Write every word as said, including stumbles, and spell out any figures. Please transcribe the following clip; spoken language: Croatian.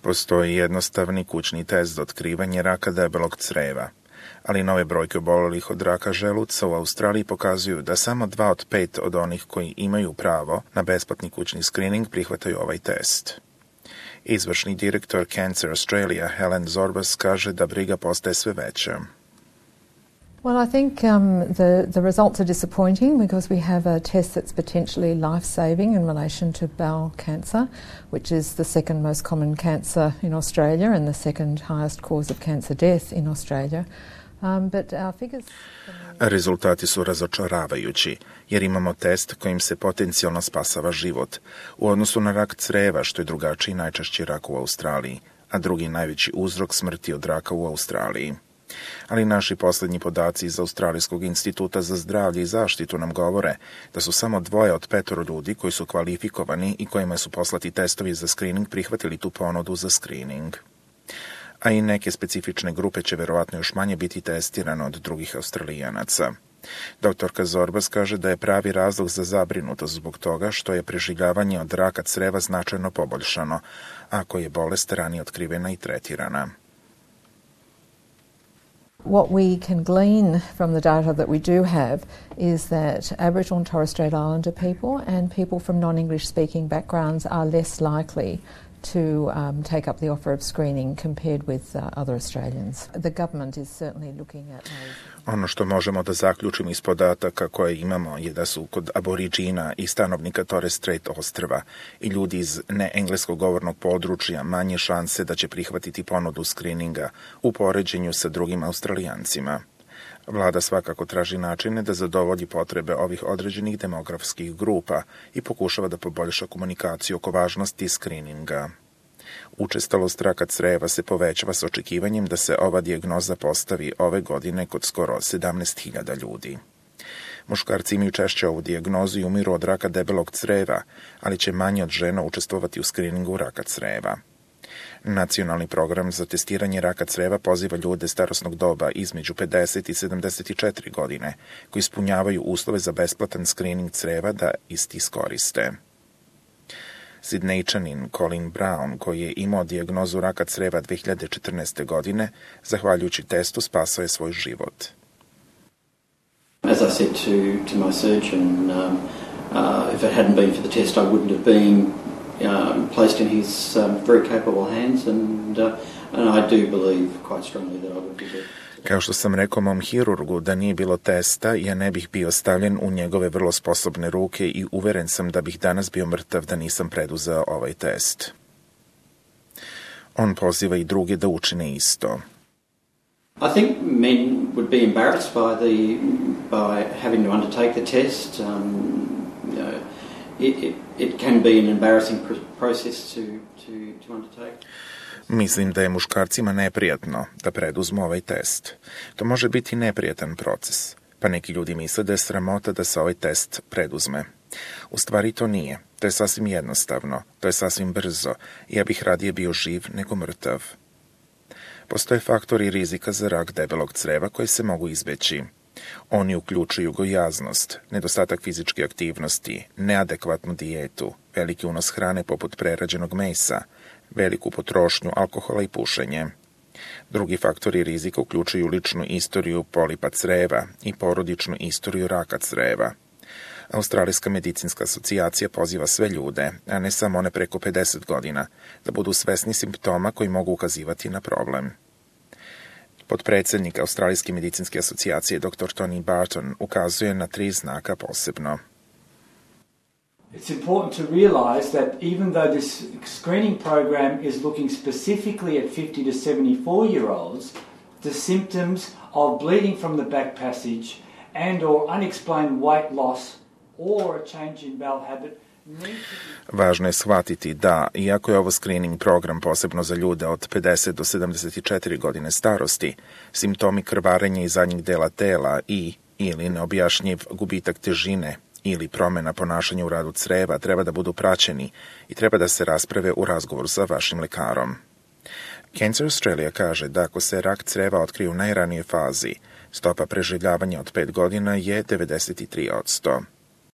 Postoji jednostavni kućni test za otkrivanje raka debelog creva, ali nove brojke obolelih od raka želuca u Australiji pokazuju da samo dva od pet od onih koji imaju pravo na besplatni kućni skrining prihvataju ovaj test. Izvršni direktor Cancer Australia Helen Zorbas kaže da briga postaje sve veća. Well, I think um, the, the results are disappointing because we have a test that's potentially life-saving in relation to bowel cancer, which is the second most common cancer in Australia and the second highest cause of cancer death in Australia. Um, but our figures... Rezultati su razočaravajući, jer imamo test kojim se potencijalno spasava život, u odnosu na rak creva, što je drugačiji i najčešći rak u Australiji, a drugi najveći uzrok smrti od raka u Australiji. Ali naši posljednji podaci iz Australijskog instituta za zdravlje i zaštitu nam govore da su samo dvoje od petoro ljudi koji su kvalifikovani i kojima su poslati testovi za screening prihvatili tu ponudu za screening. A i neke specifične grupe će verovatno još manje biti testirane od drugih Australijanaca. Doktorka Zorbas kaže da je pravi razlog za zabrinutost zbog toga što je preživljavanje od raka creva značajno poboljšano, ako je bolest ranije otkrivena i tretirana. What we can glean from the data that we do have is that Aboriginal and Torres Strait Islander people and people from non-English speaking backgrounds are less likely to um, take up the offer of screening compared with uh, other Australians. The government is certainly looking at those. Ono što možemo da zaključimo iz podataka koje imamo je da su kod aboriđina i stanovnika Torres Strait ostrva i ljudi iz neengleskog govornog područja manje šanse da će prihvatiti ponudu skrininga u poređenju sa drugim Australijancima. Vlada svakako traži načine da zadovolji potrebe ovih određenih demografskih grupa i pokušava da poboljša komunikaciju oko važnosti skrininga. Učestalost raka creva se povećava s očekivanjem da se ova dijagnoza postavi ove godine kod skoro sedamnaest hiljada ljudi. Muškarci imaju češće ovu dijagnozu i umiru od raka debelog creva, ali će manje od žena učestvovati u skriningu raka creva. Nacionalni program za testiranje raka creva poziva ljude starosnog doba između pedeset i sedamdeset četiri godine, koji ispunjavaju uslove za besplatan skrining creva da isti iskoriste. Sidnejčanin Colin Brown, koji je imao dijagnozu raka creva dve hiljade četrnaeste. godine, zahvaljujući testu spasao je svoj život. As I said to, to my surgeon, um, uh, if it hadn't been for the test, I wouldn't have been um, placed in his um, very capable hands, and, uh, and I do believe quite strongly that I would be dead. Kao što sam rekao mom hirurgu, da nije bilo testa, ja ne bih bio stavljen u njegove vrlo sposobne ruke i uveren sam da bih danas bio mrtav da nisam preduzeo ovaj test. On poziva i druge da učine isto. I think men would be embarrassed by the by having to undertake the test. Um, you know, it, it, it can be an embarrassing process to, to, to undertake. Mislim da je muškarcima neprijatno da preduzmu ovaj test. To može biti neprijatan proces, pa neki ljudi misle da je sramota da se ovaj test preduzme. U stvari to nije. To je sasvim jednostavno, to je sasvim brzo i ja bih radije bio živ nego mrtav. Postoje faktori rizika za rak debelog creva koji se mogu izbeći. Oni uključuju gojaznost, nedostatak fizičke aktivnosti, neadekvatnu dijetu, veliki unos hrane poput prerađenog mesa, veliku potrošnju alkohola i pušenje. Drugi faktori rizika uključuju ličnu istoriju polipa creva i porodičnu istoriju raka creva. Australijska medicinska asocijacija poziva sve ljude, a ne samo one preko pedeset godina, da budu svesni simptoma koji mogu ukazivati na problem. Potpredsjednik Australijske medicinske asocijacije doktor Tony Barton ukazuje na tri znaka posebno. It's important to realise that even though this screening program is looking specifically at fifty to seventy-four year olds, the symptoms of bleeding from the back passage and or unexplained weight loss or a change in bowel habit. Važno je shvatiti da, iako je ovo screening program posebno za ljude od pedeset do sedamdeset četiri godine starosti, simptomi krvarenja iz zadnjeg dela tela i ili neobjašnjiv gubitak težine ili promjena ponašanja u radu creva treba da budu praćeni i treba da se rasprave u razgovoru sa vašim lekarom. Cancer Australia kaže da ako se rak creva otkrije u najranijoj fazi, stopa preživljavanja od pet godina je devedeset tri posto.